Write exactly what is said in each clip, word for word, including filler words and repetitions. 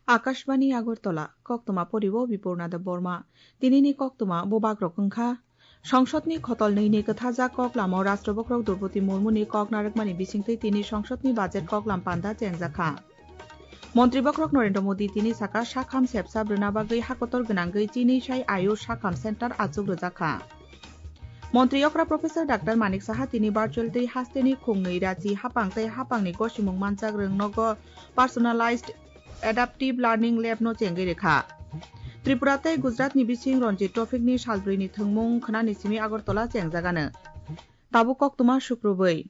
Akashbani Agartala, koktwma poribo Bipurna Debbarma. Tinini koktwma bubagrok wngkha. Songsodni khotol nwi ni kwthajak kok lama Rashtrabokhrok Droupadi Murmuni kok narwkmani bisingtwi tini songsodni budget kok lam panda chengjakha. Montri bokhorok Narendra Modi tini saka sakham sepsa brwna bagwi hakotor gwnangwi chini sai Ayush sakham center achuk rwjakha. Montri okra Professor Doctor Manik Saha tini virtual tei hasteni khungnwi rachi hapang tei hapangni gosimung manjak rwng nogo personalized adaptive learning lab no chengwi rwkha. Tripura tei Gujarat ni bising Ranji Trophy ni salbrwi ni thwngmung khwnani simi Agartala chengjagano. Tabuk koktwma sukrubwi.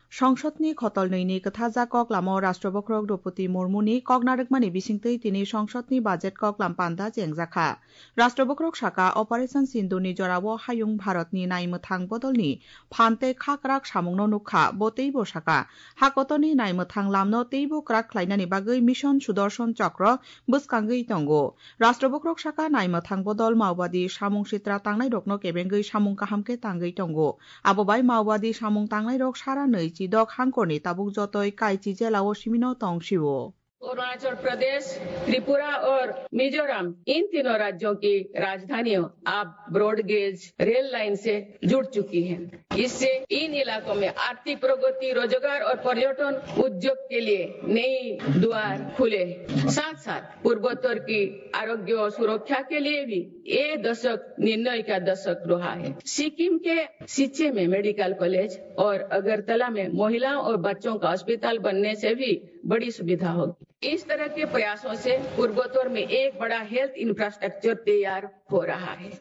Songsodni khotol nwi ni kwthajak kok lama Rashtrabokhrok Droupadi Murmuni kok narwkmani bisingtwi tini songsodni budget kok lam panda chengjakha. Rashtrabokhrok saka Operation Sindhurni jorao hayung Bharatni naimwthang bodolni phan tei khakrak samungno nukha, bo teibo saka hakotorni naimwthang lamno teibo kwrak khlainani bagwi Mission Sudarshan Chakra bwskangwi tongo. Rashtrabokhrok saka naimwthang bodol Maobadi samung sitra tangnairokno kebengwi samung kaham khe tangwi tongo. Abo bai Maobadi samung tangnairok sara nwi chidok hangkorni tabuk jotoi Kaichi jelao simino tong sio. Arunachal प्रदेश, त्रिपुरा और मिजोरम, इन तीनों राज्यों की राजधानियों अब broad gauge rail line से जुड़ चुकी हैं। इससे इन इलाकों में आर्थिक प्रगति, रोजगार और पर्यटन उद्योग के लिए नई द्वार खुले हैं। साथ साथ पूर्वोत्तर की आरोग्य और सुरक्षा के लिए भी ये दशक निर्णय का दशक रहा है। सिक्किम के सिच्चे में मेडिकल कॉलेज और अगरतला में महिलाओं और बच्चों का अस्पताल बनने से भी बड़ी सुविधा होगी। इस तरह के प्रयासों से पूर्वोत्तर में एक बड़ा हेल्थ इंफ्रास्ट्रक्चर तैयार हो रहा है।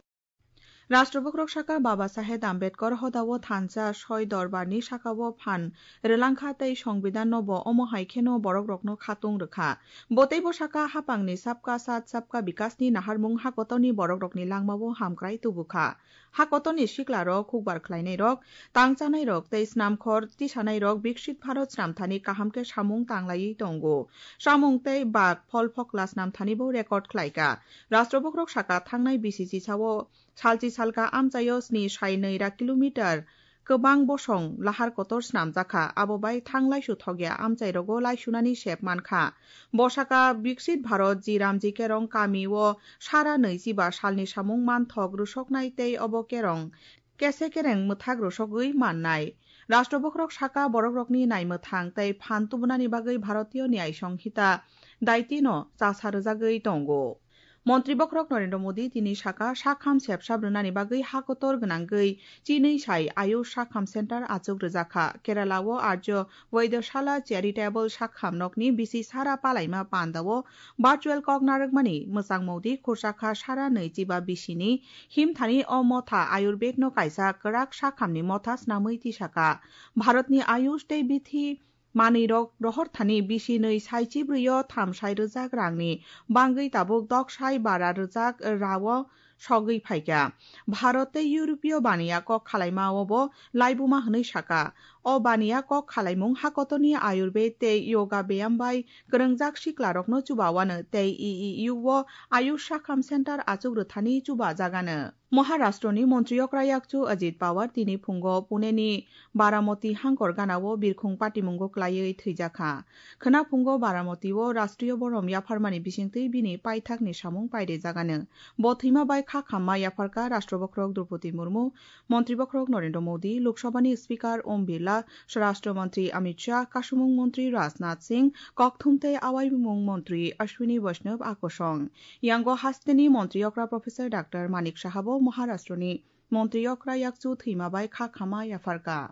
Rashtrabokhrok saka Baba Sahed Ambedkar hodao thansa soi dorbarni sakao phan rwlangkha tei Songbidanno bo omo hai kheno borokrokno khatung rwkha. Bo teibo saka hapangni Sabka Saath Sabka Vikasni naharmung hakotorni borokrokni langmao hamkrai tubukha. Hakotorni siklarok, hukbar khlainairok, tang chanairok tei snamkhor tisanairok Viksit Bharat snamthani kaham khe samung tanglaiwi tongo. Samung tei bak phol phokla snamthanibo record khlaikha. Rashtrabokhrok saka thangnai bisi chisao salchi salka amchaio sni sai nwi ra kilometer kwbang bosong lahar kotor snamjakha, abo bai thang laisu thokya amchairogo laisunani sep mankha. Bosaka Viksit Bharat Ji Ramji Kerong kami o sara nwichiba salni samung manthok rwsoknai tei obo kerong kese kereng mwthak rwsogwi mannai. Rashtrabokhrok saka borokrokni naimwthang tei phan tubunani bagwi Bharatiyo Nyay Sanghita daitino chasa rwjagwi tongo. Montri bokhorok Narendra Modi tini saka sakham sepsap rwnani bagwi hakotor gwnangwi chinwi sai Ayush sakham center achuk rwjakha. Kerala o Arjo Vaidyashala Charitable Sakham nokni bisi sara palaima pandao virtual kok narwkmani Mwchang Modi khursa kha sara nwi chiba bisini himthani o motha Ayurved no kaisa kwrak sakhamni motha snamwi tisaka. Bharatni Ayush tei bithi manwirok rohorthani bisi nwi sai chibrwi o tham sai rwjak rangni bangwi tabuk dok sai bara rwjak rao sogwi phaikha. Bharat tei Europeyo baniya kok khalaima o bo laibuma hwnwi saka. O baniya kok khalaimung hakotorni Ayurved tei yoga beyam bai kwrwngjak siklarokno chubawano tei E E U o Ayush sakham center achuk rwthani chubajagano. Maharashtroni Montri okra yakchu Ajit Pawar tini phungo Puneni Baramoti hangkor ganao birkhung patimungo klaiwi thwijakha. Khwna phungo Baramoti o Rashtriyo Borom yapharmani bisingtwi bini paithakni samung pairejagano. Bo thwima bai kha khamma yapharkha Rashtra bokhorok Droupadi Murmu, Montri bokhorok Narendra Modi, Lok Sabhani Speaker Om Birla, Swarashtra Mantri Amit Shah, Kasumung Mantri Rajnath Singh, Kokthum tei Awaimung Mantri Ashwini Vaishnaw akosong. Yango hasteni Montri okra Professor Doctor Manik Saha bo Maharashtroni Montri okra yakchu thwima bai kha khama yapharkha.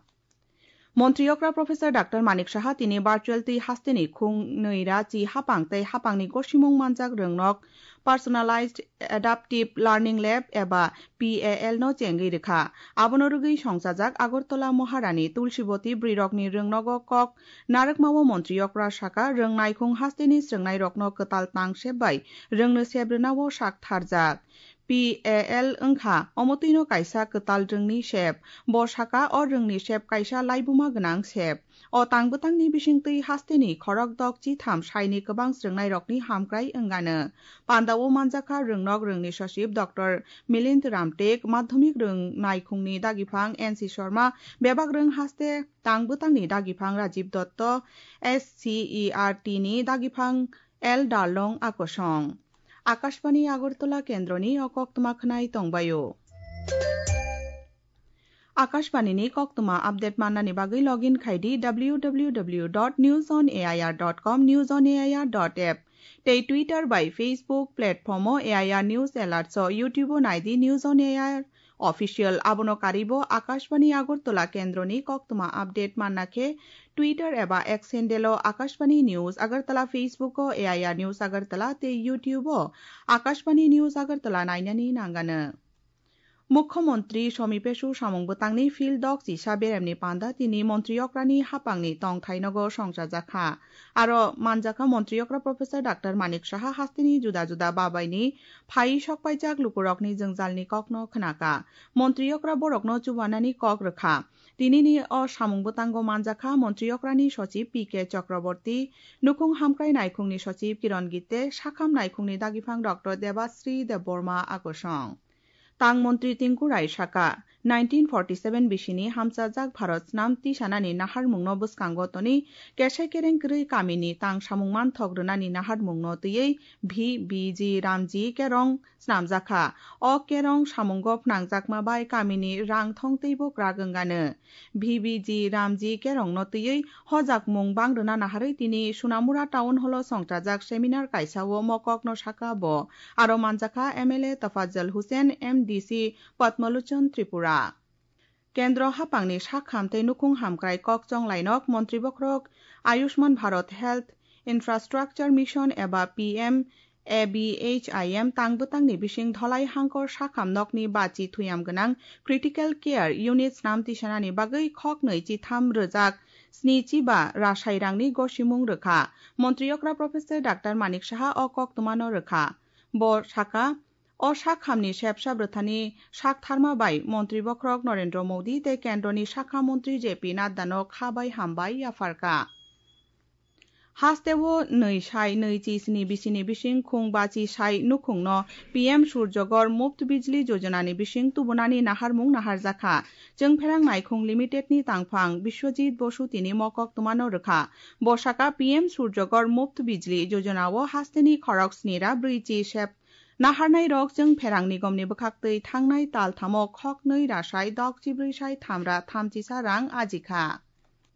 Montri okra Professor Doctor Manik Saha tini virtual twi hasteni khung nwi ra chi hapang tei hapangni gosimung manjak rwngnok Personalized Adaptive Learning Lab eba P A L no chengwi rwkha. Abono rwgwi songchajak Agartala Maharani Tulsiboti bwrwirokni rwngnogo kok narwkmao Montri okra saka rwng naikhung hasteni swrwngnairokno kwtal tang sep bai rwngno sep rwnao sak tharjak. P A L wngkha omo twino kaisa kwtal rwngni sep. Bo saka o rwngni sep kaisa laibuma gwnang sep. O tang bwtangni bisingtwi hasteni khorok dok chitham saini kwbang swrwngnairokni hamkrai wngano. Pandao manjakha rwngnok rwngni sachib Doctor Milind Ramtek, madhyamik rwng naikhungni dagiphang N C Sharma, bebak rwng haste tang bwtangni dagiphang Rajiv Dotto, S C E R T ni dagiphang L Darlong Akosong. Akashbani Agartala kendroni o koktwma khwnai tongbaio. Akashbani ni koktwma update mannani bagwi login khai di W W W dot news on A I R dot com, news on A I R dot app. Tei Twitter bai Facebook platform o A I R News Alert so YouTube o nai di News on A I R Official. Abono karwi bo Akashbani Agartala kendroni koktwma update manna khe Twitter eba X handle o Akashbani News Agartala, Facebook o A I R News Agartala tei YouTube o Akashbani News Agartala nainani nangano. Mukhyamantri Somi Pesu samung bwtangni field dok chisa beremni panda tini montri okrani hapangni tongthai nogo songchajakha. Aro manjakha montri okra Professor Doctor Manik Saha hasteni juda juda babaini phai sokpaijak lukurokni jwngjalni kokno khnaka. Montri okra borokno chubanani kok rwkha. Tinini o samung bwtango manjakha montri okrani sochib P K Chakraborty, nukhung hamkrai naikhungni sochib Kiron Gitte, sakham naikhungni dagiphan Doctor Debasri Debbarma Akosong. Tang montri Tinku Rai saka, nineteen forty seven bisini hamchajak Bharat snam tisanani naharmungno bwskango toni kesai kereng kwrwi kamini tang samung manthok rwnani naharmungno twiwi V B G Ramji kerong snamjakha. O kerong samungo phnangjakma bai kamini rang thong teibo kwrak wngano. V B G Ramji kerongno twiwi hojakmung bang rwna naharwi tini Sunamura Town Hall o songchajak seminar kaisa o mokokno saka bo. Aro manjakha M L A Tafajal Hussain, M D C Padmalochon Tripura. Kendro hapangni sakham tei nukhung hamkrai kok chonglainok montri bokhorok Ayushman Bharat Health Infrastructure Mission eba P M A B H I M tang bwtangni bising dholai hangkor sakham nokni bachi thuyam gwnang critical care unit snam tisanani bagwi khoknwi chitham rwjak sni chiba rasai rangni gosimung rwkha. Montri okra Professor Doctor Manik Saha o koktwmano rwkha. Bo saka, o sakhamni sepsa bwthani saktharma bai montri bokhorok Narendra Modi tei kendroni sakha montri J P Nadda no kha bai hambai yapharkha. Hasteo nwi sai nwi chi sni bisini bising khung bachi sai nukhungno P M Surjagor Muft Bijli Jojona ni bising tubunani naharmung naharjakha. Chwngpherang Naikhung Limited ni tangphang Biswajit Bosu tini mokok twmano rwkha. Bo saka P M Surjagor Muft Bijli Jojona o hasteni khorok sni ra brwi chi sep naharnai rok Chwngpherang nigom ni bwkhaktwi thangnai tal thamo khoknwi ra sai dok chibrwi sai tham ra thamchisa rang ajikha.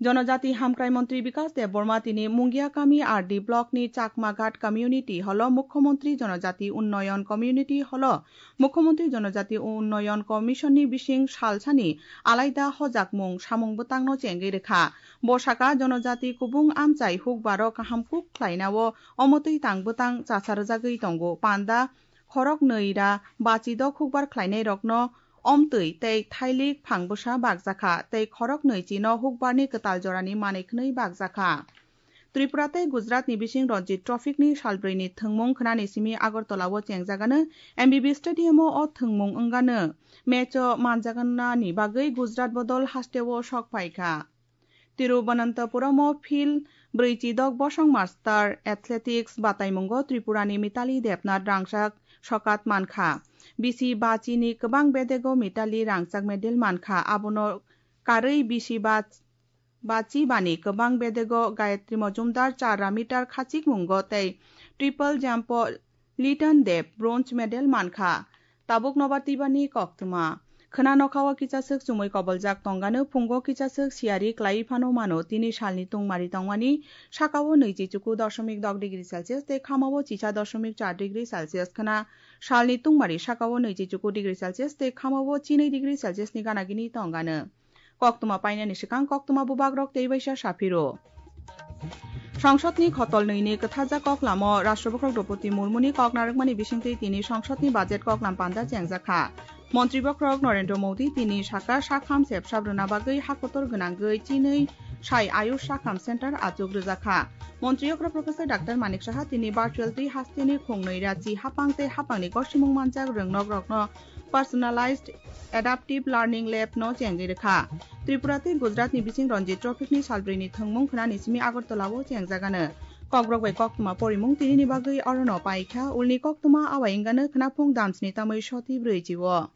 Jonojati Hamkrai Montri Bikas Debbarma tini Mungia Kami R D Block ni Chakmaghat Community Hall o Mukhyamantri Jonojati Unnoyon Community Hall o Mukhyamantri Jonojati Unnoyon Commission ni bising salsani alaida hojakmung samung bwtangno chengwi rwkha. Bo saka Jonojati kubung amchai hukbaro kaham kuk khlainao omotwi tang bwtang chasarjagwi tongo. Panda khorok nwi ra bachi dok hukbar khlainairokno omtwi tei thailik phangbwsa bakjakha tei khorok nwi chino hukbarni kwtal jorani manwi khwnwi bakjakha. Tripura tei Gujarat ni bising Ranji Trophy ni salbrwi ni thwngmung khwnani simi Agartala o chengjagano M B B Stadium o o thwngmung wngano match o manjagana ni bagwi Gujarat bodol hasteo sok phaikha. Tiruvananthapuram o field brwi chi dok bosong master athletics bataimungo Tripura ni Mitali Debnath rangchak sokat mankha. Bisi bachi ni kwbang bedego Mitali rangchak medal mankha. Abono karwi bisi bach-, bachi bani kwbang bedego Gayatri Majumdar char ra meter khachikmungo tei triple jump o Litan Deb bronze medal mankha. Tabuk nobar twibani koktwma. Khwna nokha o kichaswk chumui koboljak tongano phungo kichaswk siyari klaiwi phano mano. Tini salni tungmari tongmani sakao nwichi chuku dosomik dok degree Celsius tei khamao chisa dosomik char degree Celsius khwna. Salni tungmari sakao nwichi chuku degree Celsius tei khamao chinwi degree Celsius ni gana gini tongano. Koktwma painani swkang koktwma bubagrok tei baisa saphiro. Songsodni khotol nwi ni kwtharjak koklamo Rashtrapati Draupadi Murmuni kok narwkmani bisingtwi tini Songsodni budget koklam panda chengjakha. Montri bokhorok Narendra Modi tini saka sakham sepsap rwna bagwi hakotor gwnangwi chinwi sai Ayush Sakham Center achuk rwjakha. Montri okra Professor Doctor Manik Saha tini virtual twi hasteni khungnwi rachi hapang tei hapangni gosimung manjak rwngnok rokno Personalized Adaptive Learning Lab no chengwi rwkha. Tripura tei Gujarat ni bising Ranji Trophy ni salbrwi ni thwngmung khwnani simi Agartala o chengjagano. Kokborok bai koktwma porimung tini ni bagwi orono paikha, ulni koktwma awai wngano khwnaphung damsni tamwi soti brwi chi o.